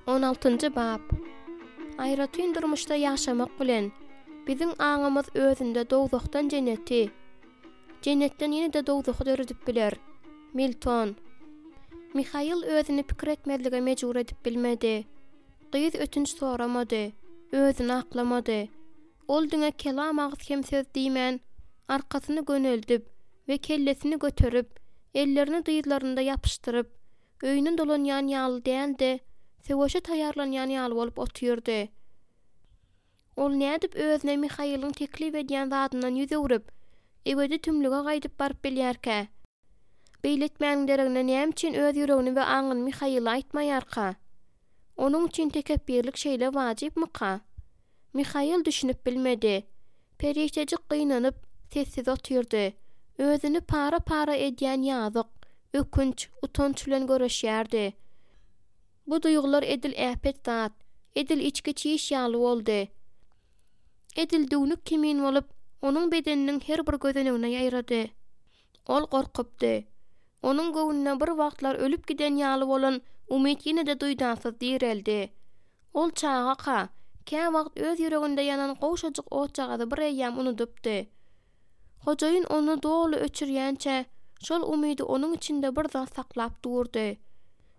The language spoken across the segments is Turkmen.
On altynjy bap. Aýratyn durmuşda ýaşamak bilen, biziň aňymyz özünde dowzahdan jenneti, jennetden ýene-de dowzahy döredip biler. Milton. Mihail özüni pikir etmezlige mejbur edip bilmedi. Gyz ötünç soramady, özüni aklamady. Ol diňe kelam agyz hem söz diýmän, arkasyny göneldip we kellesini göterip, ellerini dyzlarynda ýapyşdyryp, öýüne dolanýan ýaly däl-de, söweşe taýýarlanýan ýaly bolup otyrdy. Ol nädip özüne Mihailiň teklip edýän zadyndan ýüz öwrüp, ebedi tümlüge gaýdyp baryp bilýärkä? Beýle etmäniň deregine näme üçin öz ýüregini we aňyny Mihaile aýtmaýarka? Onuň üçin tekepbirlik şeýle wajypmyka? Mihail düşünip bilmedi. Perişdejik gynanyp, sessiz otyrdy. Özüni para-para edýän ýazyk, ökünç, utanç bilen göreşýärdi. Bu duýgular edil äpet zat, edil içki çiş ýaly boldy. Edil düwnük kimin bolup, onuň bedeniniň her bir gözenegine ýaýrady. Ol gorkupdy. Onuň göwnüne bir wagtlar ölüp giden ýaly bolan umyt ýene-de duýdansyz direldi. Ol çagaka, käwagt öz ýüreginde ýanan gowşajyk otjagazy bir eýýäm unudypdy. Hojaýyn ony doly öçürýänçä, şol umydy onuň içinde bir zat saklap durdy.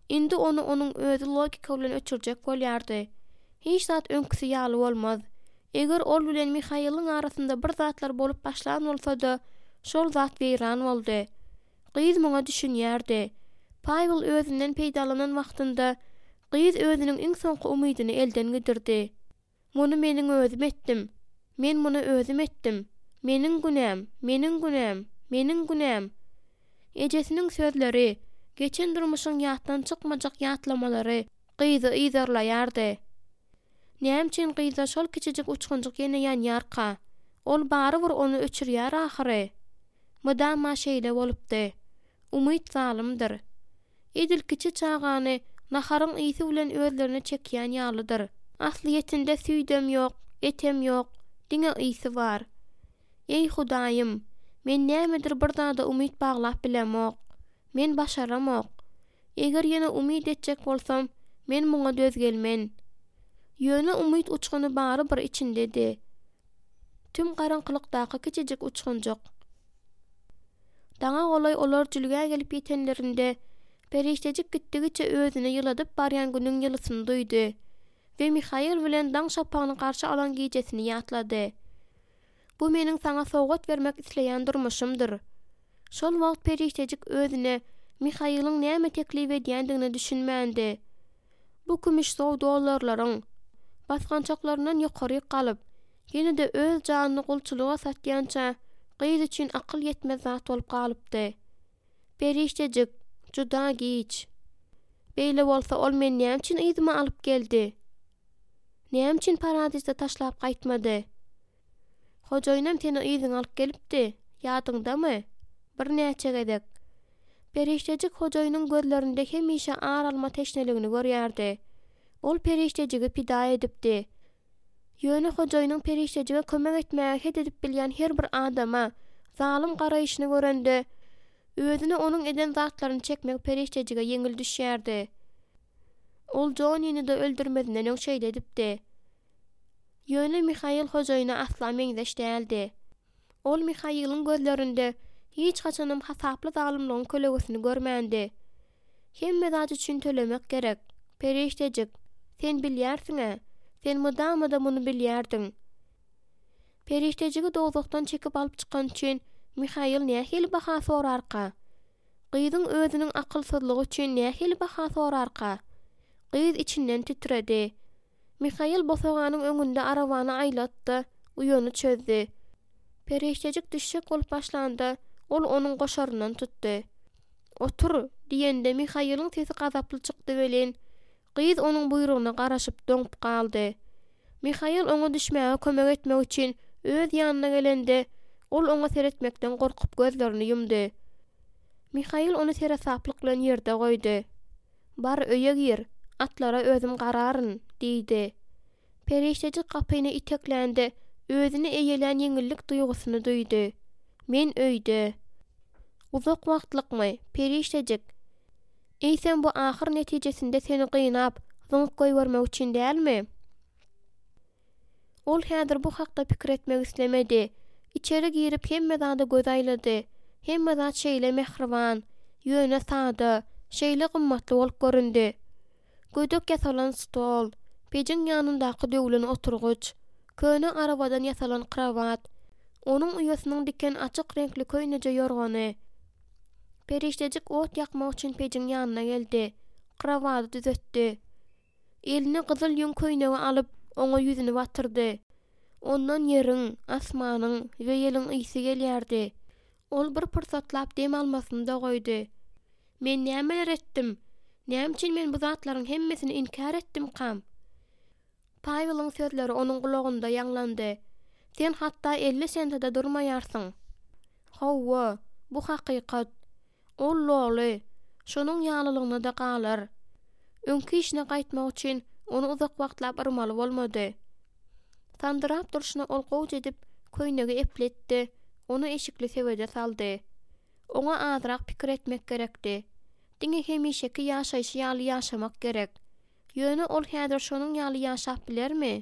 Indi ony onuň özi logika bilen öçürjek bolýardy. Hiç zat öňküsi ýaly bolmaz. Eger ol bilen Mihailiň arasynda bir zatlar bolup başlan bolsa-da, şol zat weýran boldy. Gyz muňa düşünýärdi. Pawel özünden peýdalanan wagtynda, gyz özüniň iň soňky umydyny elden gidirdi. Muny meniň özüm etdim. Men muny özüm etdim. Meniň günäm, meniň günäm, meniň günäm. Ejesiniň sözleri, geçen durmuşyň ýatdan çykmajak ýatlamalary gyzy yzarlaýardy. Näme üçin gyzda şol kiçijik uçgunjyk ýene ýanýarka? Ol barybir ony öçürýär ahyry. Mydama şeýle bolupdy. Umyt zalymdyr. Edil kiçi çagany naharyň ysy bilen özlerine çekýän ýalydyr. Aslyýetinde süýdem ýok, etem ýok, diňe ysy bar. Eý, Hudaýym, men nämedir bir zada umyt baglap bilemok. Men başaramok. Eger ýene umyt etjek bolsam, men muňa döz gelmen. Ýöne umyt uçguny barybir içindedi. Tüm garaňkylykdaky kiçijik uçgunjyk. Daňa golaý olar jülgä gelip ýetenlerinde, perişdejik gitdigiçe özüni ýyladyp barýan günüň ýylysyny duýdy we Mihail bilen daň şapagyny garşy alan gijesini ýatlady. Bu meniň saňa sowgat bermek isleýän durmuşymdyr. Şol wagt perişdejik özüne Mihailiň näme teklip edýändigine düşünmändi. Bu kümüşsow dollarlaryň basgançaklaryndan ýokaryk galyp, ýene-de öz janyny gulçulyga satýança gyz üçin akyl ýetmez zat bolup galypdy. Perişdejik, juda giç. Beýle bolsa ol meni näme üçin yzyma alyp geldi? Näme üçin paradisde taşlap gaýtmady? Hojaýynam seni yzyňa alyp gelipdi, ýadyňdamy? Birnäçe gezek. Perişdejik hojaýynyň gözlerinde hemişe ar alma teşneligini görýärdi. Ol perişdejigi pida edipdi. Ýöne hojaýynyň perişdejige kömek etmäge het edip bilýän her bir adama zalym garaýşyny görende, özüne onuň eden zatlaryny çekmek perişdejige ýeňil düşýärdi. Ol Jonnini-de öldürmezinden öň şeýle edipdi. Ýöne Mihail hojaýyna asla meňzeş däldi. Ol Mihailiň gözlerinde hiç haçanam hasaply zalymlygyň kölegesini görmändi. Hemme zat üçin tölemek gerek, perişdejik, sen bilýärsiň-ä, sen mydama-da muny bilýärdiň. Perişdejigi dowzahdan çekip alyp çykany üçin Mihail nähili baha sorarka? Gyzyň özüniň akylsyzlygy üçin nähili baha sorarka? Gyz içinden titredi. Mihail bosaganyň öňünde arabany aýlatdy, uýany çözdi. Perişdejik düşjek bolup başlanda, ol onuň goşaryndan tutdy. Otur! diýende Mihailiň sesi gazaply çykdy welin, gyz onuň buýrugyna garaşyp doňup galdy. Mihail oňa düşmäge kömek etmek üçin öz ýanyna gelende, ol oňa seretmekden gorkup gözlerini ýumdy. Mihail ony seresaplyk bilen ýerde goýdy. Bar, öýe gir, atlara özüm gararyn, diýdi. Perişdejik gapyny iteklände, özüni eýelän ýeňillik duýgusyny duýdy. Men öýde. Uzak wagtlykmy, perişdejik? Eýsem bu ahyr netijesinde seni gynap, zyňyp goýbermek üçin dälmi? Ol häzir bu hakda pikir etmek islemedi. Içeri girip hemme zada göz aýlady. Hemme zat şeýle mähriban, ýöne sada, şeýle gymmatly bolup göründi. Gödek ýasalan stol, pejiň ýanyndaky döwlen oturgyç, köne arabadan ýasalan krowat, onuň uýasynyň diken açyk reňkli köýneje ýorgany. Perişdejik ot ýakmak üçin pejiň ýanyna geldi. Krowady düzetdi. Eline gyzyl ýüň köýnegi alyp, oňa ýüzüni batyrdy. Ondan ýeriň, asmanyň we ýeliň ysy gelýärdi. Ol bir pursatlap dem almasyny-da goýdy. Men nämeler etdim? Näme üçin men bu zatlaryň hemmesini inkär etdimkam? Paweliň sözleri onuň gulagynda ýaňlandy, Sen hatda 50 sente-de durmaýarsyň. Hawa, bu hakykat. Ol loly, şonuň ýalylygyna-da galar. Öňki işine gaýtmak üçin ony uzak wagtlap yrmaly bolmady. Sandyrap durşuna ol gowja edip köýnegi epletdi, ony eşikli sebede saldy. Oňa azrak pikir etmek gerekdi. Diňe hemişeki ýaşaýşy ýaly ýaşamak gerek. Ýöne ol häzir şonuň ýaly ýaşap bilermi?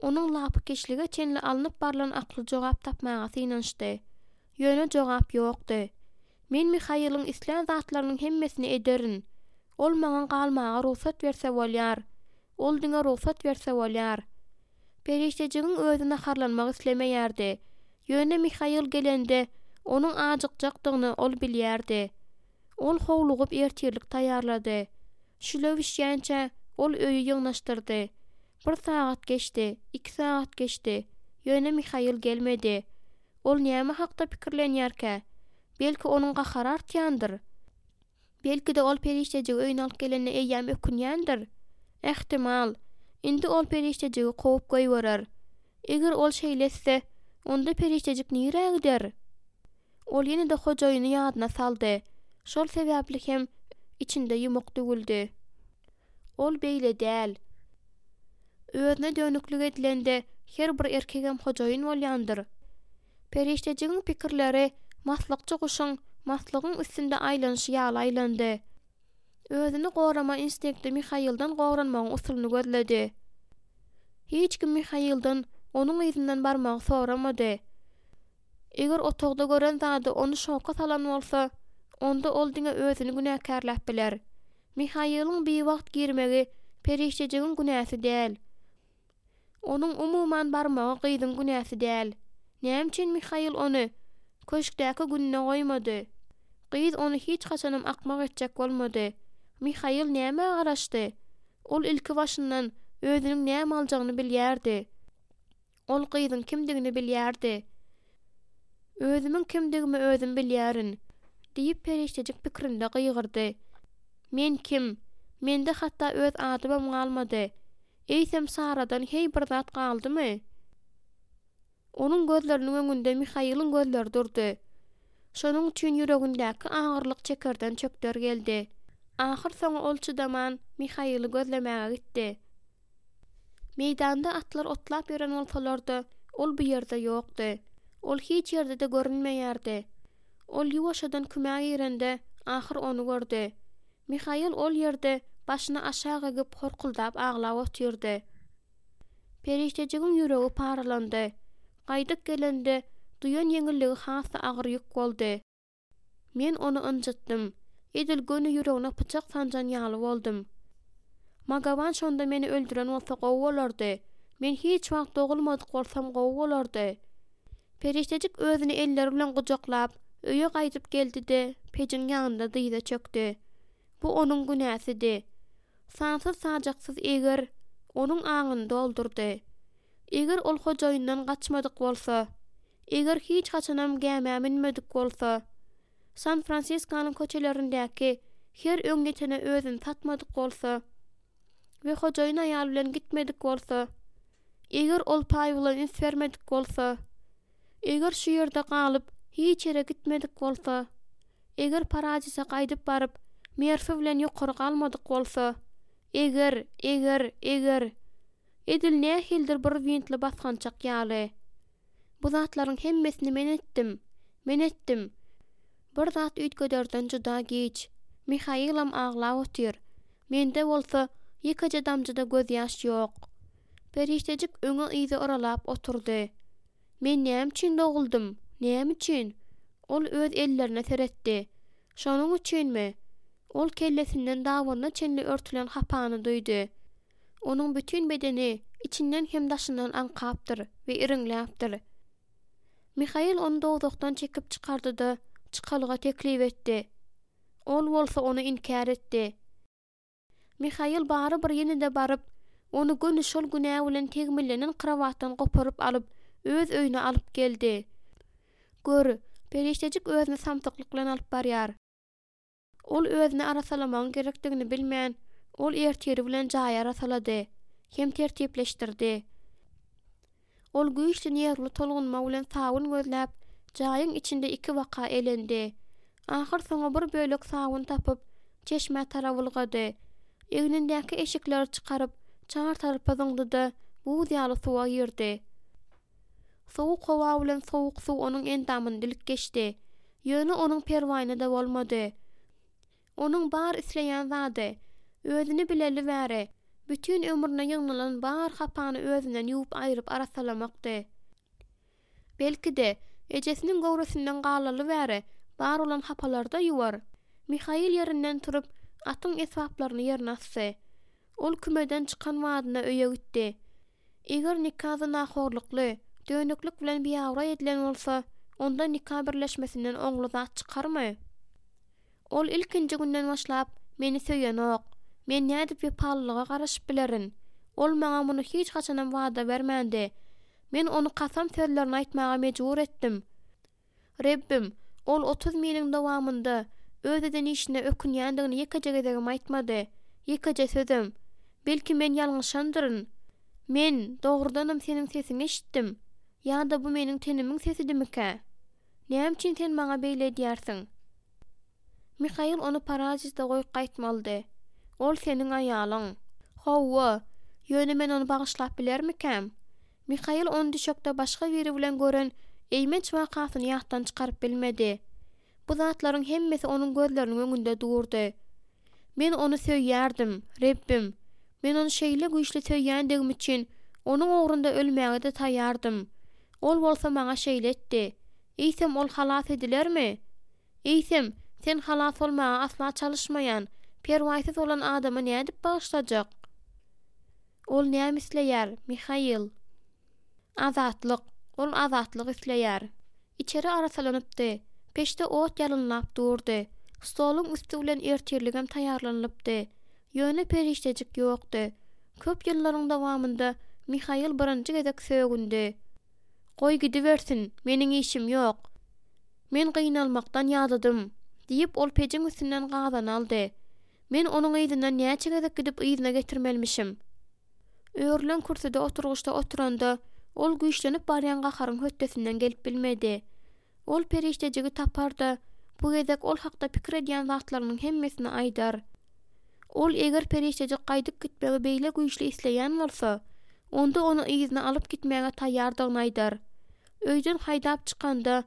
Onuň lapykeçlige çenli alnyp barlan akly jogap tapmaga synanyşdy. Ýöne jogap ýokdy. Men Mihailiň islän zatlarynyň hemmesini ederin. Ol maňa galmaga rugsat berse bolýar. Ol diňe rugsat berse bolýar. Perişdejigiň özi naharlanmak islemeýärdi. Ýöne Mihail gelende, onuň ajykjakdygyny ol bilýärdi. Ol howlugyp ertirlik taýýarlady. Şüle bişýänçä, ol öýi ýygnaşdyrdy. Bir sagat geçdi, iki sagat geçdi, ýöne Mihail gelmedi. Ol näme hakda pikirlenýärkä? Belki, onuň gahary artýandyr? Belki-de, ol perişdejigi öýüne alyp gelenine eýýäm ökünýändir? Ähtimal, indi ol perişdejigi kowup goýberer. Eger ol şeýle etse, onda perişdejik nirä gider? Ol ýene-de hojaýyny ýadyna saldy. Şol sebäpli hem içinde ýumuk düwüldi. Ol beýle däl. Özüne dönüklik edilende her bir erkegem hojaýyn bolýandyr. Perişdejigiň pikirleri maslykçy guşuň maslygyň üstünde aýlanyşy ýaly aýlandy. Özüni gorama instinkti Mihailden goranmagyň usulyny gözledi. Hiç kim Mihailden onuň yzyndan barmagy soramady. Eger otagda gören zady ony şoka salan bolsa, onda ol diňe özüni günäkärläp biler. Mihailiň biwagt girmegi perişdejigiň günäsi däl. Onuň umuman barmagy gyzyň günäsi däl. Näme üçin Mihail ony köşkdäki gününe goýmady? Gyz ony hiç haçanam akmak etjek bolmady. Mihail nämä garaşdy? Ol ilki başyndan özüniň näme aljagyny bilýärdi. Ol gyzyň kimdigini bilýärdi. Özümiň kimdigimi özüm bilýärin, diýip perişdejik pikrinde gygyrdy. Men kim? Mende hatda öz adymam galmady. Eýsem Saradan heý bir zat galdymy? Onuň gözleriniň öňünde Mihailiň gözleri durdy. Şonuň üçin ýüregindäki agyrlyk çekerden çökder geldi. Ahyrsoňy ol çydaman, Mihaili gözlemäge gitdi. Meýdanda atlar otlap ýören bolsalar-da, ol bu ýerde ýokdy. Ol hiç ýerde-de görünmeýärdi. Ol ýuwaşjadan kümä girende, ahyr ony gördi. Mihail ol ýerde başyny aşak egip, horkuldap aglap otyrdy. Perişdejigiň ýüregi paralandy. Gaýdyp gelende, duýan ýeňilligi has-da agyr ýük boldy. Men ony ynjytdym. Edil göni ýüregine pyçak sanjan ýaly boldum. Magawan şonda meni öldüren bolsa gowy bolardy. Men hiç wagt dogulmadyk bolsam gowy bolardy. Perişdejik özüni elleri bilen gujaklap, öýe gaýdyp geldi-de, pejiň ýanynda dyza çökdi. Bu onuň günäsidi. Sansyz-sajaksyz eger onuň aňyny doldurdy. Eger ol hojaýyndan gaçmadyk bolsa, eger hiç haçanam gämä münmedik bolsa, San-Fransiskonyň köçelerindäki her öňýetene özüni satmadyk bolsa we hojaýyn aýal bilen gitmedik bolsa, eger ol Paýwla üns bermedik bolsa, eger şu ýerde galyp, hiç ýere gitmedik bolsa, eger Paradise gaýdyp baryp, Merfi bilen ýokary galmadyk bolsa, eger, eger, eger. Edil nähilidir bir wintli basgançak ýaly. Bu zatlaryň hemmesini men etdim. Men etdim. Bir zat üýtgederden juda giç. Mihailam aglap otyr. Mende bolsa, Ýekeje damja-da gözýaş ýok. Perişdejik öňe-yza yralap oturdy. Men näme üçin doguldym? Näme üçin? Ol öz ellerine seretdi. Şonuň üçinmi? Ol kellesinden dabanyna çenli örtülen hapany duýdy. Onuň bütin bedeni içinden hem daşyndan aňkapdyr we iriňläpdir. Mihail ony dowzahdan çekip çykardy-da, çykalga teklip etdi. Ol bolsa ony inkär etdi. Mihail barybir ýene-de baryp, ony göni şol günä bilen tegmillenen krowatdan goparyp alyp, öz öýüne alyp geldi. Gör, perişdejik özüni samsyklyk bilen alyp barýar. Ol özüni arassalamagyň gerekdigini bilmän, ol ertiri bilen jaýy arassalady hem tertipleşdirdi. Ol güýçli nerwli tolgunma bilen sabyn gözläp, jaýyň içinde ikibaka elendi. Ahyrsoňy bir bölek sabyn tapyp, çeşmä tarap ylgady. Egnindäki eşikleri çykaryp, çar tarapa zyňdy-da, buz ýaly suwa girdi. Sowuk howa bilen sowuk suw onuň endamyny dilip geçdi. Ýöne onuň perwaýyna-da bolmady. Onuň bar isleýän zady, özüni bileli bäri, bütin ömrüne ýygnalan bar hapany özünden ýuwup aýryp arassalamakdy. Belki-de, ejesiniň göwresinden galaly bäri bar bolan hapalary-da ýuwar. Mihail ýerinden turup, atyň esbaplaryny ýerine asdy. Ol kümeden çykan badyna öýe gitdi. Eger nika zynahorlukly, dönüklik bilen biabraý edilen bolsa, onda nika birleşmesinden oňly zat çykarmy? Ol ilkinji günden başlap, meni söýenok. Men nädip wepalylyga garaşyp bilerin? Ol maňa muny hiç haçanam wada bermändi. Men ony kasam sözlerini aýtmaga mejbur etdim. Rebbim, ol 30 miliň dowamynda öz eden işine ökünýändigini ýekeje gezegem aýtmady. Ýekeje sözem. Belki men ýalňyşandyryn? Men, dogrudanam seniň sesiňi eşitdim. Ýa-da bu meniň tenimiň sesidimikä? Näme üçin sen maňa beýle edýärsiň? Mihail ony Parazisde goýup gaýtmalydy. Ol seniň aýalyň. Hawa, ýöne men ony bagyşlap bilermikäm? Mihail ony düşekde başga biri bilen gören eýmenç wakasyny ýatdan çykaryp bilmedi. Bu zatlaryň hemmesi onuň gözleriniň öňünde durdy. Men ony söýýärdim, Rebbim. Men ony şeýle güýçli söýýändigim üçin, onuň ugrunda ölmäge-de taýýardym. Ol bolsa maňa şeýle etdi. Eýsem, ol halas edilermi? Eýsem, sen halas bolmaga asla çalyşmaýan, perwaýsyz bolan adamy nädip bagyşlajak? Ol näme isleýär, Mihail? Azatlyk. Ol azatlyk isleýär. Içeri arassalanypdy. Peçde ot ýalynlap durdy. Stoluň üsti bilen ertirligem taýýarlanylypdy. Ýöne perişdejik ýokdy. Köp ýyllaryň dowamynda Mihail birinji gezek sögündi. Goý gidibersin, meniň işim ýok. Men gynalmakdan ýadadym, diýip, ol pejiň üstünden gazany aldy. Men onuň yzyndan näçe gezek gidip yzyna getirmelimişim? Örülen kürsüde oturgyçda oturanda, ol güýçlenip barýan gaharyň hötdesinden gelip bilmedi. Ol perişdejigi tapar-da, bu gezek ol hakda pikir edýän zatlarynyň hemmesini aýdar. Ol eger perişdejik gaýdyp gitmegi beýle güýçli isleýän bolsa, onda ony yzyna alyp gitmäge taýýardygyny aýdar. Öýden haýdap çykanda,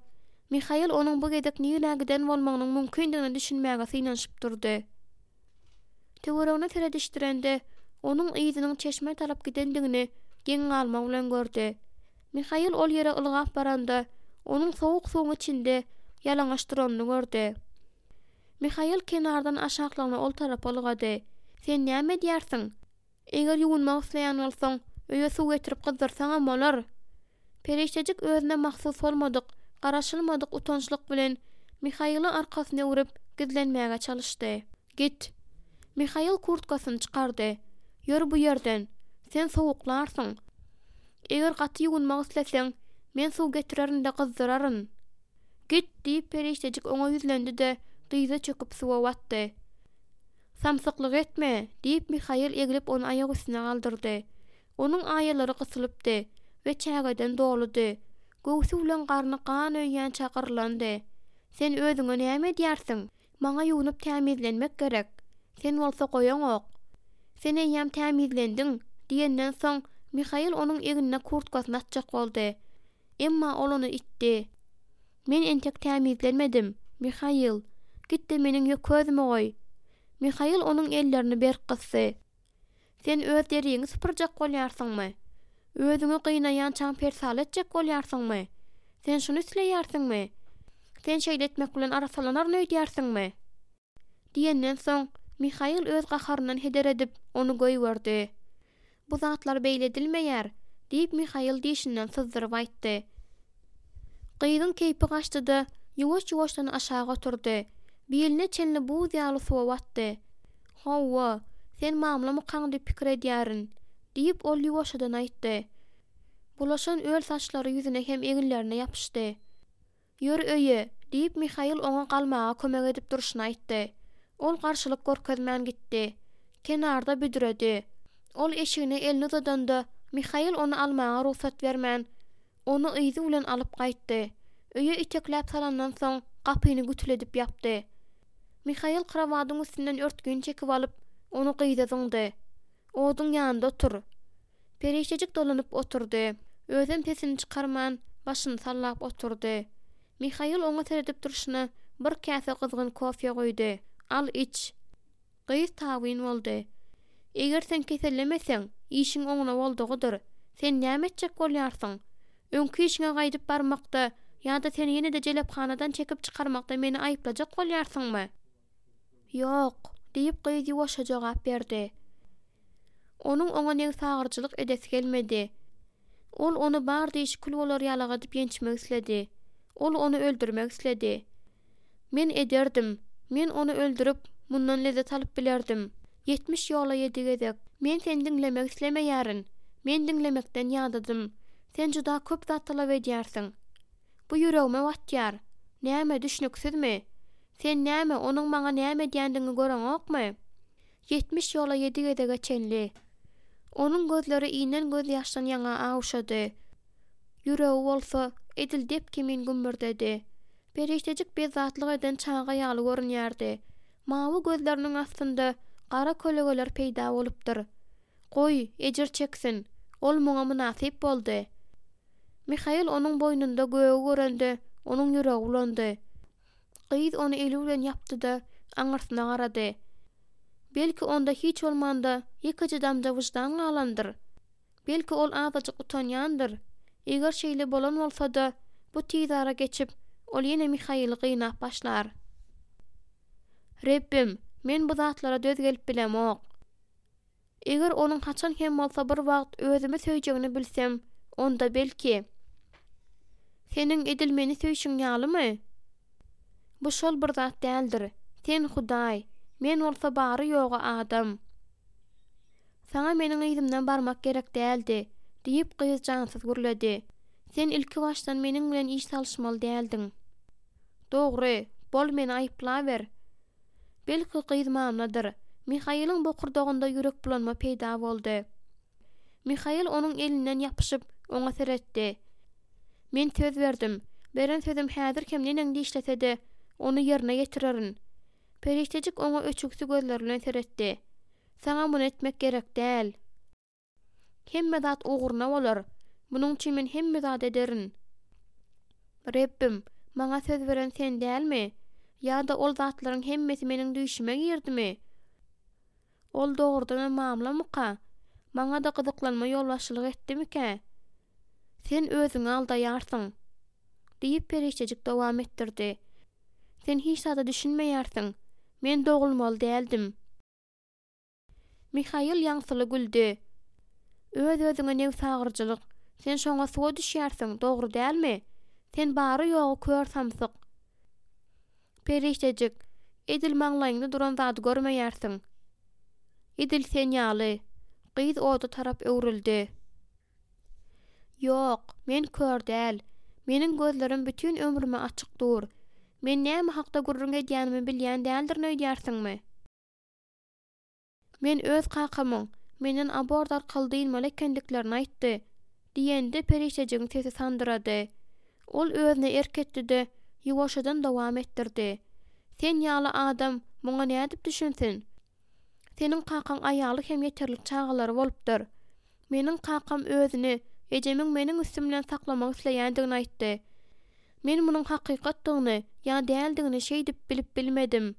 Mihail onuň bu gezek nirä giden bolmagynyň mümkindigine düşünmäge synanyşyp durdy. Töweregine seredişdirende, onuň yzynyň çeşmä tarap gidendigini geň galma bilen gördi. Mihail ol ýere ylgap baranda, onuň sowuk suwuň içinde ýalaňaç duranyny gördi. Mihail kenardan aşaklygyna ol tarapa ylgady. Sen näme edýärsiň? Eger ýuwunmak isleýän bolsaň, öýe suw getirip gyzdyrsaňam bolar. Perişdejik özüne mahsus bolmadyk, garaşylmadyk utançlyk bilen Mihaila arkasyny öwrüp, gizlenmäge çalyşdy. Git! Mihail kurtkasyny çykardy. Ýör bu ýerden! Sen sowuklarsyň. Eger gaty ýuwunmak isleseň, men suw getirerin-de gyzdyraryn. Git! diýip, perişdejik oňa ýüzlendi-de, dyza çöküp suwa batdy. Samsyklyk etme! diýip, Mihail eglip ony aýak üstüne galdyrdy. Onuň aýalary gysylypdy we çägeden doludy. Göwsi bilen garny gan öýýänçä gyrylandy. Sen özüňe näme edýärsiň? Maňa ýuwnup tämizlenmek gerek. Sen bolsa goýaňok. Sen eýýäm tämizlendiň, diýenden soň, Mihail onuň egnine kurtkasyny atjak boldy. Emma ol ony itdi. Men entek tämizlenmedim, Mihail. Git-de meniň ýöközümi goý. Mihail onuň ellerini berk gysdy. Sen öz deriňi sypyrjak bolýarsyňmy? Özüňi gynaýançaň persala etjek bolýarsyňmy? Sen şuny isleýärsiňmi? Sen şeýle etmek bilen arassalanaryn öýdýärsiňmi? Diýenden soň, Mihail öz gaharyndan heder edip, ony goýberdi. Bu zatlar beýle edilmeýär, diýip, Mihail dişinden syzdyryp aýtdy. Gyzyň keýpi gaçdy-da, ýuwaş-ýuwaşdan aşak oturdy. Biline çenli buz ýaly suwa batdy. Hawa, sen mamlamykaň diýip pikir edýärin, diýip, ol ýuwaşjadan aýtdy. Bulaşan öl saçlary ýüzüne hem eginlerine ýapyşdy. Ýör öýe, diýip, Mihail oňa galmaga kömek edip durşuna aýtdy. Ol garşylyk görkezmän gitdi. Kenarda büdredi. Ol eşigine elini uzadanda, Mihail ony almaga rugsat bermän, ony yzy bilen alyp gaýtdy. Öýe itekläp salandan soň, gapyny gütüledip ýapdy. Mihail krowadyň üstünden örtgini çekip alyp, ony gyza zyňdy. Oduň ýanynda otur. Perişdejik dolanyp oturdy. Özem sesini çykarman, başyny sallap oturdy. Mihail oňa seredip durşuna bir käse gyzgyn kofe guýdy. Al, iç. Gyz tabyn boldy. Eger sen kesellemeseň, işiň oňuna boldugydyr. Sen näme etjek bolýarsyň? Öňki işiňe gaýdyp barmakda ýa-da seni ýene-de jelephanadan çekip çykarmakda meni aýyplajak bolýarsyňmy? Ýok, diýip, gyz ýuwaşja jogap berdi. Onuň oňa nebsagyryjylyk edesi gelmedi. Ol ony bar dişi kül bolar ýalak edip ýençmek isledi. Ol ony öldürmek isledi. Men ederdim. Men ony öldürip, mundan lezzet alyp bilerdim. 70 ýola ýedi gezek. Men seni diňlemek islemeýärin. Men diňlemekden ýadadym. Sen juda köp zat talap edýärsiň. Bu ýüregime batýar. Näme, düşnüksizmi? Sen näme, onuň maňa näme edýändigini göreňokmy? 70 ýola ýedi gezege çenli. Onuň gözleri inen gözýaşdan ýaňa awuşady. Ýüregi bolsa, edil dep kimin gümmürdedi. Perişdejik bezzatlyk eden çaga ýaly görünýärdi. Mawy gözleriniň astynda gara kölegeler peýda bolupdyr. Goý, ejir çeksin. Ol muňa mynasyp boldy. Mihail onuň boýnunda gögi görende, onuň ýüregi bulandy. Gyz ony eli bilen ýapdy-da, aňyrsyna garady. Belki onda hiç bolmanda ýekeje damja wyždan galandyr? Belki ol azajyk utanýandyr? Eger şeýle bolan bolsa-da, bu tizara geçip, ol ýene Mihaili gynap başlar. Rebbim, men bu zatlara döz gelip bilemok. Eger onuň haçan hem bolsa bir wagt özümi söýjegini bilsem, onda belki. Seniň edil meni söýşüň ýalymy? Bu şol bir zat däldir. Sen Hudaý, men bolsa bary-ýogy adam. Saňa meniň yzymdan barmak gerek däldi, diýip, gyz jansyz gürledi. Sen ilkibaşdan meniň bilen iş salyşmaly däldiň. Dogry, bol meni aýyplaber. Belki gyz mamladyr. Mihailiň bokurdagynda ýürekbulanma peýda boldy. Mihail onuň elinden ýapyşyp, oňa seretdi. Men söz berdim. Beren sözüm häzir hem neneň dişlese-de, ony ýerine ýetirerin. Perişdejik oňa öçügsi gözleri bilen seretdi. Saňa muny etmek gerek däl. Hemme zat ugruna bolar. Munuň üçin men hemme zady ederin. Rebbim, maňa söz beren Sen dälmi? Ýa-da ol zatlaryň hemmesi meniň düýşüme girdimi? Ol dogrudanam mamlamyka? Maňa-da gyzyklanma ýolbaşçylyk etdimikä? Sen özüňi aldaýarsyň! Diýip, perişdejik dowam etdirdi. Sen hiç zada düşünmeýärsiň. Men dogulmaly däldim. Mihail ýaňsyly güldi. Öz-özüňe nebsagyryjylyk. Sen şoňa suwa düşýärsiň, dogry dälmi? Sen bary-ýogy kör samsyk. Perişdejik, edil maňlaýyňda duran zady görmeýärsiň. Edil sen ýaly. Gyz oda tarap öwrüldi. Ýok, men kör däl. Meniň gözlerim bütin ömrüme açyk dur. Men näme hakda gürrüň edýänimi bilýän däldirin öýdýärsiňmi? Men öz kakamyň menden abort arkaly dynmaly ekendiklerini aýtdy, diýende perişdejigiň sesi sandyrady. Ol özüne erk etdi-de, ýuwaşjadan dowam etdirdi. Sen ýaly adam muňa nädip düşünsin? Seniň kakaň aýaly hem ýeterlik çagalary bolupdyr. Meniň kakam özüni ejemiň meniň üstüm bilen saklamak isleýändigini aýtdy. Men munuň hakykatdygyny ýa däldigini şeýdip bilip bilmedim.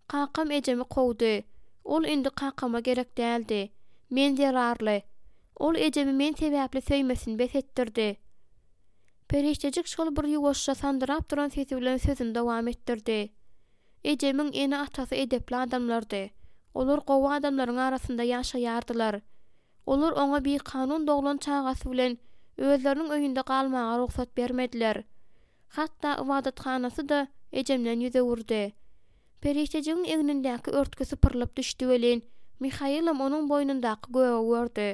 Kakam ejemi kowdy. Ol indi kakama gerek däldi. Men zerarly. Ol ejemi men sebäpli söýmesini bes etdirdi. Perişdejik şol bir ýuwaşja sandyrap duran sesi bilen sözüni dowam etdirdi. Ejemiň ene-atasy edepli adamlardy. Olar gowy adamlaryň arasynda ýaşaýardylar. Olar oňa bikanun doglan çagasy bilen özleriniň öýünde galmaga rugsat bermediler. Hatda ybadathanasy-da ejemden ýüz öwürdi. Perişdejigiň egnindäki örtgi sypyrylyp düşdi welin, Mihailam onuň boýnundaky gögi gördi.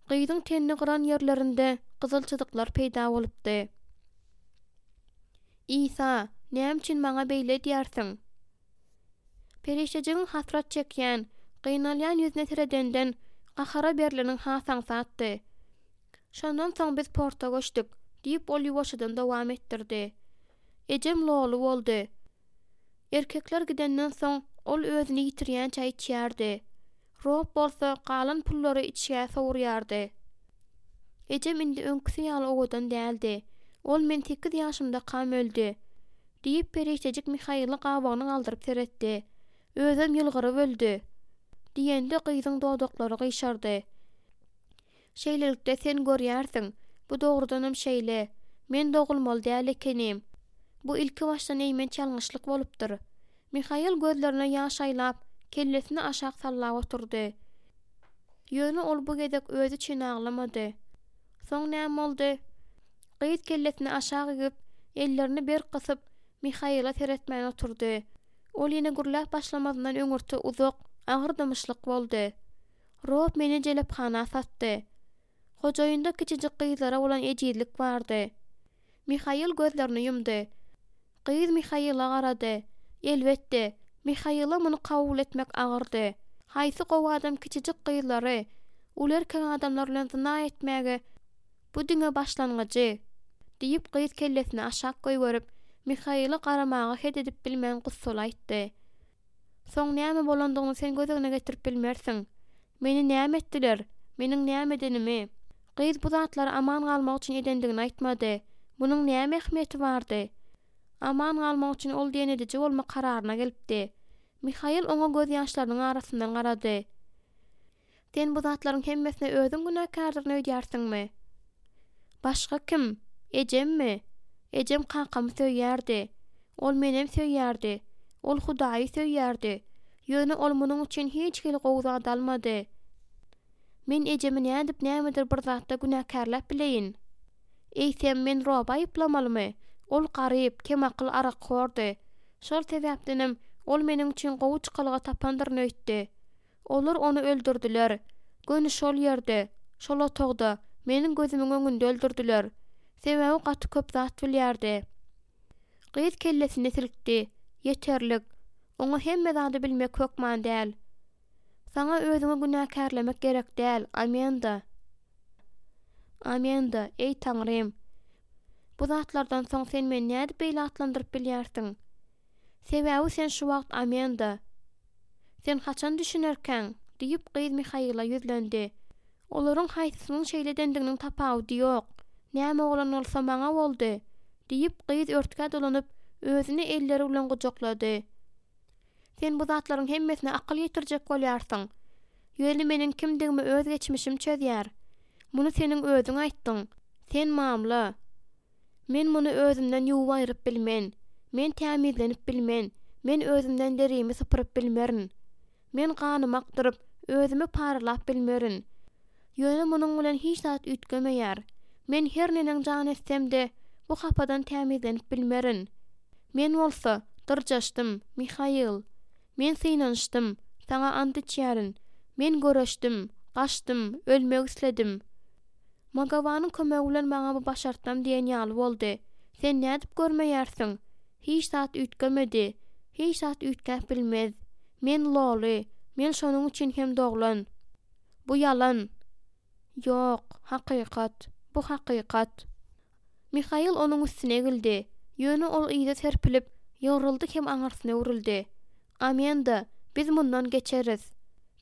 Gyzyň tenini gyran ýerlerinde gyzyl çyzyklar peýda bolupdy. Isa, näme üçin maňa beýle edýärsiň? Perişdejigiň hasrat çekýän, gynalýan ýüzüne seredenden gahara berleniň has aňsatdy. Şondan soň biz porta göçdük, diýip, ol ýuwaşjadan dowam etdirdi. Ejem loly boldy. Erkekler gidenden soň, ol özüni ýitirýänçä içýärdi. Rob bolsa galan pullary içgä sowurýardy. Ejem indi öňküsi ýaly owadan däldi. Ol men sekiz ýaşymdakam öldi. Diýip, perişdejik Mihaila gabagyny galdyryp seretdi. Özem ýylgyryp öldi. Diýende gyzyň dodaklary gyşardy. Şeýlelikde, sen görýärsiň, bu dogrudanam şeýle. Men dogulmaly däl ekenim. Bu ilkibaşdan eýmenç ýalňyşlyk bolupdyr. Mihail gözlerine ýaş aýlap, kellesini aşak sallap oturdy. Ýöne ol bu gezek özi üçin aglamady. Soň näme boldy? Gyz kellesini aşak egip, ellerini berk gysyp, Mihaila seretmän oturdy. Ol ýene gürläp başlamazyndan öňürti uzak, agyr dymyşlyk boldy. Rob meni jelephana satdy. Hojaýynda kiçijik gyzlara bolan ejizlik bardy. Mihail gözlerini ýumdy. Gyz Mihaila garady. Elbetde, Mihaila muny kabul etmek agyrdy. Haýsy gowy adam kiçijik gyzlary uly erkek adamlar bilen zyna etmäge Bu diňe başlangyjy! diýip, gyz kellesini aşak goýberip, Mihaila garamaga het edip bilmän gussaly aýtdy. Soň näme bolandygyny sen göz öňüne getirip bilmersiň. Meni näme etdiler? Meniň näme edenimi? Gyz bu zatlary aman galmak üçin edendigini aýtmady. Munuň näme ähmiýeti bardy? Aman galmak üçin ol diýen ediji bolmak kararyna gelipdi. Mihail oňa gözýaşlarynyň arasyndan garady. Sen bu zatlaryň hemmesine özüň günäkärdirin öýdýärsiňmi? Başga kim? Ejemmi? Ejem kakamy söýýärdi. Ol menem söýýärdi. Ol Hudaýy söýýärdi. Ýöne ol munuň üçin hiç hili gowy zat almady. Men ejemi nädip nämedir bir zatda günäkärläp bileýin? Eýsem, men Roby aýyplamalymy? Ol garyp, kemakyl arakhordy. Şol sebäpdenem, ol meniň üçin gowy çykalga tapandyryn öýtdi. Olar ony öldürdiler. Göni şol ýerde, şol otagda, meniň gözümiň öňünde öldürdiler. Sebäbi gaty köp zat bilýärdi. Gyz kellesini silkdi. Ýeterlik. Oňa hemme zady bilmek hökman däl. Saňa özüňi günäkärlemek gerek däl, Amenda. Amenda, eý Taňrym! Bu zatlardan soň sen meni nädip beýle atlandyryp bilýärsiň? Sebäbi sen şu wagt Amenda. Sen haçan düşünerkäň? diýip, gyz Mihaila ýüzlendi. Olaryň haýsysynyň şeýle edendiginiň tapawudy ýok. Näme bolan bolsa, maňa boldy! diýip, gyz örtgä dolanyp, özüni elleri bilen gujaklady. Sen bu zatlaryň hemmesine akyl ýetirjek bolýarsyň. Ýöne meniň kimdigimi öz geçmişim çözýär. Muny seniň özüň aýtdyň. Sen mamla. Men muny özümden ýuwup aýryp bilmen. Men tämizlenip bilmen. Men özümden derimi sypyryp bilmerin. Men ganymy akdyryp, özümi paralap bilmerin. Ýöne munuň bilen hiç zat üýtgemeýär. Men her neneň jan etsem-de, bu hapadan tämizlenip bilmerin. Men bolsa, dyrjaşdym, Mihail. Men synanyşdym, saňa ant içýärin. Men göreşdim, gaçdym, ölmek isledim. Magawanyň kömegi bilen maňa bu başartdam diýen ýaly boldy. Sen nädip görmeýärsiň? Hiç zat üýtgemedi. Hiç zat üýtgäp bilmez. Men loly. Men şonuň üçin hem doglan. Bu ýalan. Ýok, hakykat. Bu hakykat. Mihail onuň üstüne egildi. Ýöne ol yza serpilip, ýygryldy hem aňyrsyna öwrüldi. Amenda, biz mundan geçeris.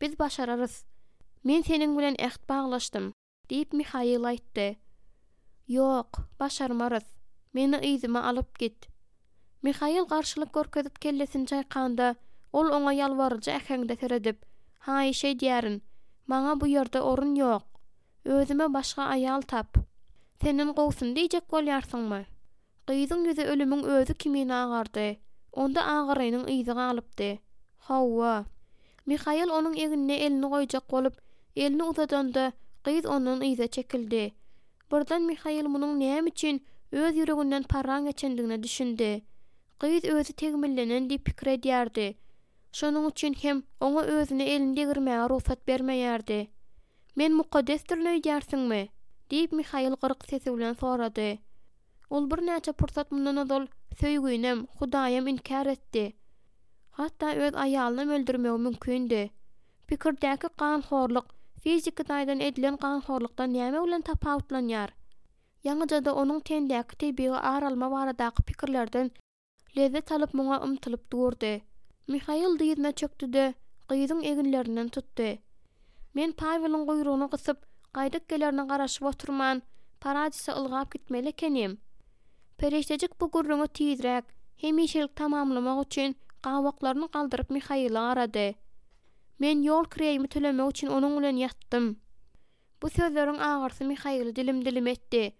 Biz başararys. Men seniň bilen äht baglaşdym, diýip, Mihail aýtdy. Ýok, başarmarys. Meni yzyma alyp git. Mihail garşylyk görkezip kellesini çaýkanda, ol oňa ýalbaryjy äheňde seredip, Haýyş edýärin. Maňa bu ýerde orun ýok. Özüme başga aýal tap. Senden gowusyny diýjek bolýarsyňmy? Gyzyň ýüzi ölümiň özi kimin agardy. Onda agyrynyň yzy galypdy. Hawa. Mihail onuň egnine elini goýjak bolup, elini uzadanda, gyz ondan yza çekildi. Birden Mihail munuň näme üçin öz ýüreginden parran geçendigine düşündi. Gyz özi tegmillenen diýip pikir edýärdi. Şonuň üçin hem oňa özüne elini degirmäge rugsat bermeýärdi. Men mukaddesdirin öýdýärsiňmi? diýip, Mihail gyryk sesi bilen sorady. Ol birnäçe pursat mundan ozal söýginem, Hudaýam inkär etdi. Hatda öz aýalynam öldürmegi mümkindi. Pikirdäki ganhorluk fiziki taýdan edilen ganhorlukdan näme bilen tapawutlanýar? Ýaňyja-da onuň tendäki tebigy ar alma baradaky pikirlerden lezzet alyp muňa ymtylyp durdy. Mihail dyzyna çökdi-de, gyzyň eginlerinden tutdy. Men Paweliň guýrugyny gysyp, gaýdyp gelerine garaşyp oturman, Paradise ylgap gitmeli ekenim. Perişdejik bu gürrüňi tizräk, hemişelik tamamlamak üçin gabaklaryny galdyryp Mihaile garady. Men ýol kireýimi tölemek üçin onuň bilen ýatdym. Bu sözleriň agyrysy Mihaili dilim-dilim etdi.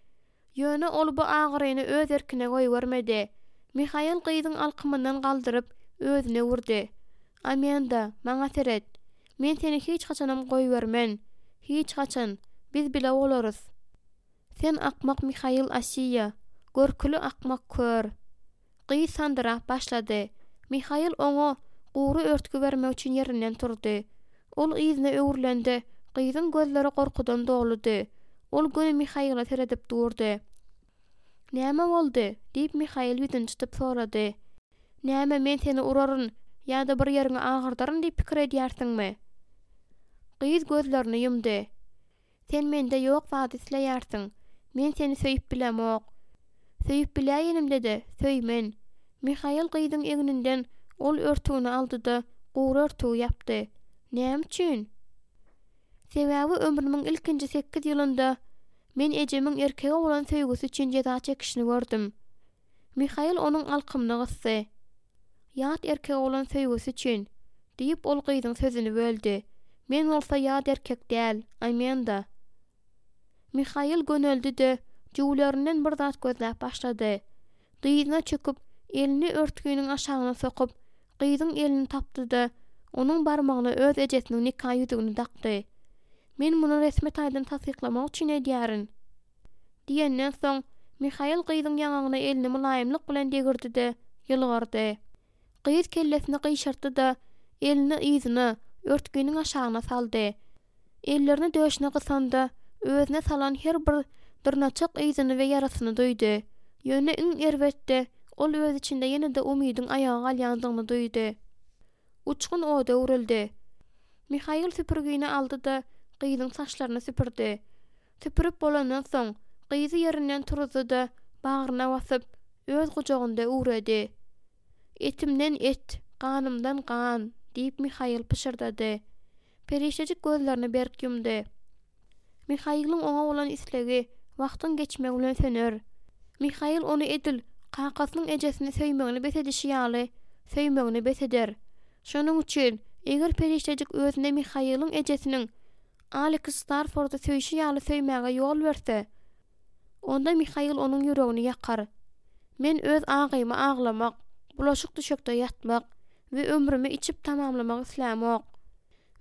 Ýöne ol bu agyryny öz erkine goýbermedi. Mihail gyzyň alkymyndan galdyryp, özüne öwürdi. Amenda, maňa seret. Men seni hiç haçanam goýbermen. Hiç haçan. Biz bile bolarys. Sen akmak Mihail Asiýa. Görküli akmak kör. Gyz sandyrap başlady. Mihail oňa gury örtgi bermek üçin ýerinden turdy. Ol yzyna öwrülende, gyzyň gözleri gorkudan doludy. Ol göni Mihaile seredip durdy. Näme boldy? diýip, Mihail ýüzüni çytyp sorady. Näme, men seni uraryn ýa-da bir ýeriňi agyrdaryn diýip pikir edýärsiňmi? Gyz gözlerini ýumdy. Sen mende ýok zady isleýärsiň. Men seni söýüp bilemok. Söýüp biläýenimde-de, söýmen. Mihail gyzyň egninden ol örtügini aldy-da, gury örtügi ýapdy. Näme üçin? Sebäbi ömrümiň ilkinji sekiz ýylynda men ejemiň erkege bolan söýgüsi üçin jeza çekişini gördüm. Mihail onuň alkymyny gysdy. Ýat erkege bolan söýgüsi üçin, diýip, ol gyzyň sözüni böldi. Men bolsa ýat erkek däl, Amenda. Mihail göneldi-de, jübülerinden bir zat gözläp başlady. Dyzyna çöküp, elini örtginiň aşagyna sokup, gyzyň elini tapdy-da, onuň barmagyna öz ejesiniň nika ýüzügini dakdy. Men muny resmi taýdan tassyklamak üçin edýärin. Diýenden soň, Mihail gyzyň ýaňagyna elini mylaýymlyk bilen degirdi-de, ýylgyrdy. Gyz kellesini gyşartdy-da, elini yzyna, örtginiň aşagyna saldy. Ellerini döşüne gysanda, özüne salan her bir dyrnaçak yzyny we ýarasyny duýdy. Ýöne iň erbetde, ol öz içinde ýene-de umydyň aýaga galýandygyny duýdy. Uçgun oda öwrüldi. Mihail süpürgini aldy-da, gyzyň saçlaryny süpürdi. Süpürip bolandan soň, gyzy ýerinden turuzdy-da, bagryna basyp, öz gujagynda üwredi. Etimden et, ganymdan gan, diýip, Mihail pyşyrdady. Perişdejik gözlerini berk ýumdy. Mihailiň oňa bolan islegi wagtyň geçmegi bilen söner. Mihail ony edil kakasynyň ejesini söýmegini bes edişi ýaly, söýmegini bes eder. Şonuň üçin, eger perişdejik özüne Mihailiň ejesiniň Aleks Starfordy söýşi ýaly söýmäge ýol berse, onda Mihail onuň ýüregini ýakar. Men öz agymy aglamak, bulaşyk düşekde ýatmak we ömrümi içip tamamlamak islämok.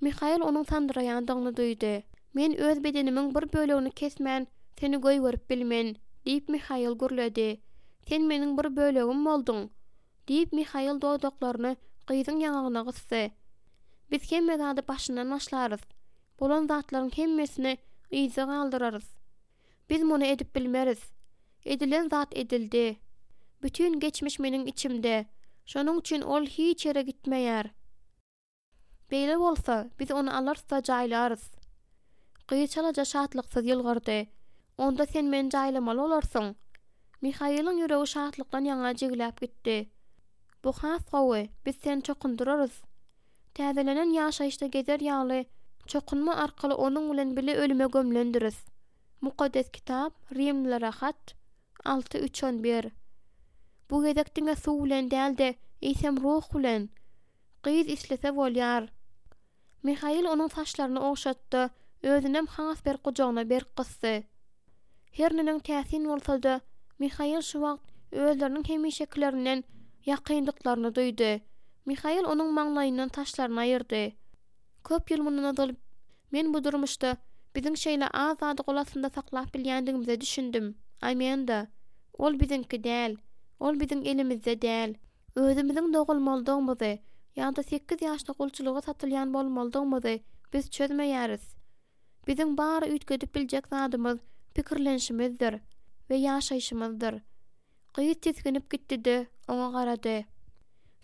Mihail onuň sandyraýandygyny duýdy. Men öz bedenimiň bir bölegini kesmän, seni goýberip bilmen, diýip, Mihail gürledi. Sen meniň bir bölegim bolduň, diýip, Mihail dodaklaryny gyzyň ýaňagyna gysdy. Biz hemme zady başyndan başlarys. Bolan zatlaryň hemmesini yzda galdyrarys. Biz muny edip bilmeris. Edilen zat edildi. Bütin geçmiş meniň içimde. Şonuň üçin ol hiç ýere gitmeýär. Beýle bolsa, biz ony alarys-da jaýlarys. Gyz çalaja şatlyksyz ýylgyrdy. Onda sen meni jaýlamaly bolarsyň. Mihailiň ýüregi şatlykdan ýaňa jigläp gitdi. Bu has gowy, biz seni çokundyrarys. Täzelenen ýaşaýyşda gezer ýaly, çokunma arkaly onuň bilen bile ölüme gömlendiris. Mukaddes Kitap, Rimlilere hat, alty, üç, on bir. Bu gezek diňe suw bilen däl-de, eýsem ruh bilen. Gyz islese bolýar. Mihail onuň saçlaryny ogşatdy, özünem has berk gujagyna berk gysdy. Her neneň täsin bolsa-da, Mihail şu wagt özleriniň hemişekilerinden ýakyndyklaryny duýdy. Mihail onuň maňlaýyndan saçlaryny aýyrdy. Köp ýyl mundan ozal men bu durmuşda biziň şeýle az zady gol astynda saklap bilýändigimize düşündim, Amenda. Ol biziňki däl. Ol biziň elimizde däl. Özümiziň dogulmalydygymyzy ýa-da sekiz ýaşda gulçulyga satylýan bolmalydygymyzy biz çözmeýäris. Biziň bary üýtgedip biljek zadymyz pikirlenişimizdir we ýaşaýşymyzdyr. Gyz tisginip gitdi-de, oňa garady.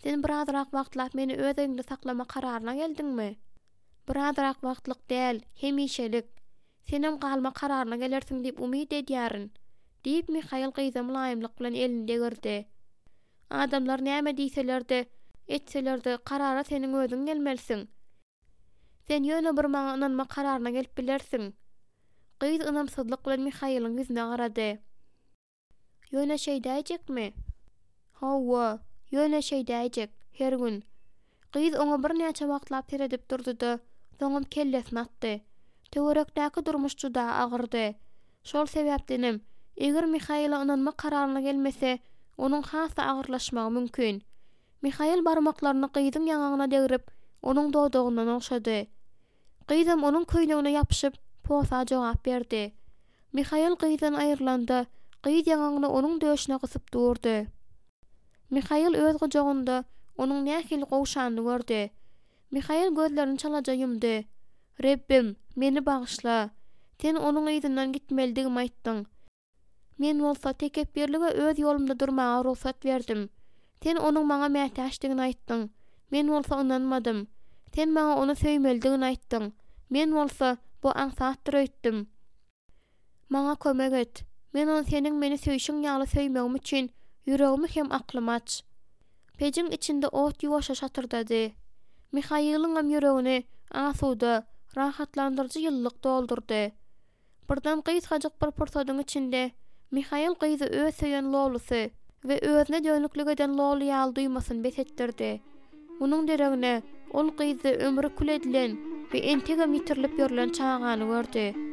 Sen birazrak wagtlap meni öz öýüňde saklama kararyna geldiňmi? Birazrak wagtlyk däl, hemişelik. Senem galma kararyna gelersiň diýip umyt edýärin, diýip, Mihail gyza mylaýymlyk bilen elini degirdi. Adamlar näme diýseler-de, etseler-de, karara seniň özüň gelmelisiň. Sen ýöne bir maňa ynanma kararyna gelip bilersiň. Gyz ynamsyzlyk bilen Mihailiň ýüzüne garady. Ýöne şeýdäýjekmi? Hawa, ýöne şeýdäýjek, her gün. Gyz oňa birnäçe wagtlap seredip durdy-da, soňam kellesini atdy. Töwerekdäki durmuş juda agyrdy. Şol sebäpdenem, eger Mihaila ynanma kararyna gelmese, onuň has-da agyrlaşmagy mümkin. Mihail barmaklaryny gyzyň ýaňagyna degrip, onuň dodagyndan ogşady. Gyzam onuň köýnegine ýapyşyp, posa jogap berdi. Mihail gyzdan aýrylanda, gyz ýaňagyny onuň döşüne gysyp durdy. Mihail öz gujagynda onuň nähili gowşanyny gördi. Mihail gözlerini çalaja ýumdy. Rebbim, meni bagyşla. Sen onuň yzyndan gitmelidigimi aýtdyň. Men bolsa tekepbirlige öz ýolumda durmaga rugsat berdim. Sen onuň maňa mätäçdigini aýtdyň. Men bolsa ynanmadym. Sen maňa ony söýmelidigini aýtdyň. Men bolsa, bu aňsatdyr öýtdüm. Maňa kömek et. Men ony seniň meni söýşüň ýaly söýmegim üçin ýüregimi hem aklymy aç. Pejiň içinde ot ýuwaşja şatyrdady. Mihailiňem ýüregini asuda, rahatlandyryjy ýylylyk doldurdy. Birden gysgajyk bir pursadyň içinde Mihail gyzy öz söýen lolusy we özüne dönüklik eden loly ýaly duýmasyny bes etdirdi. Munuň deregine, ol gyzda ömri kül edilen we entegem ýitirilip ýörlen çagany gördi.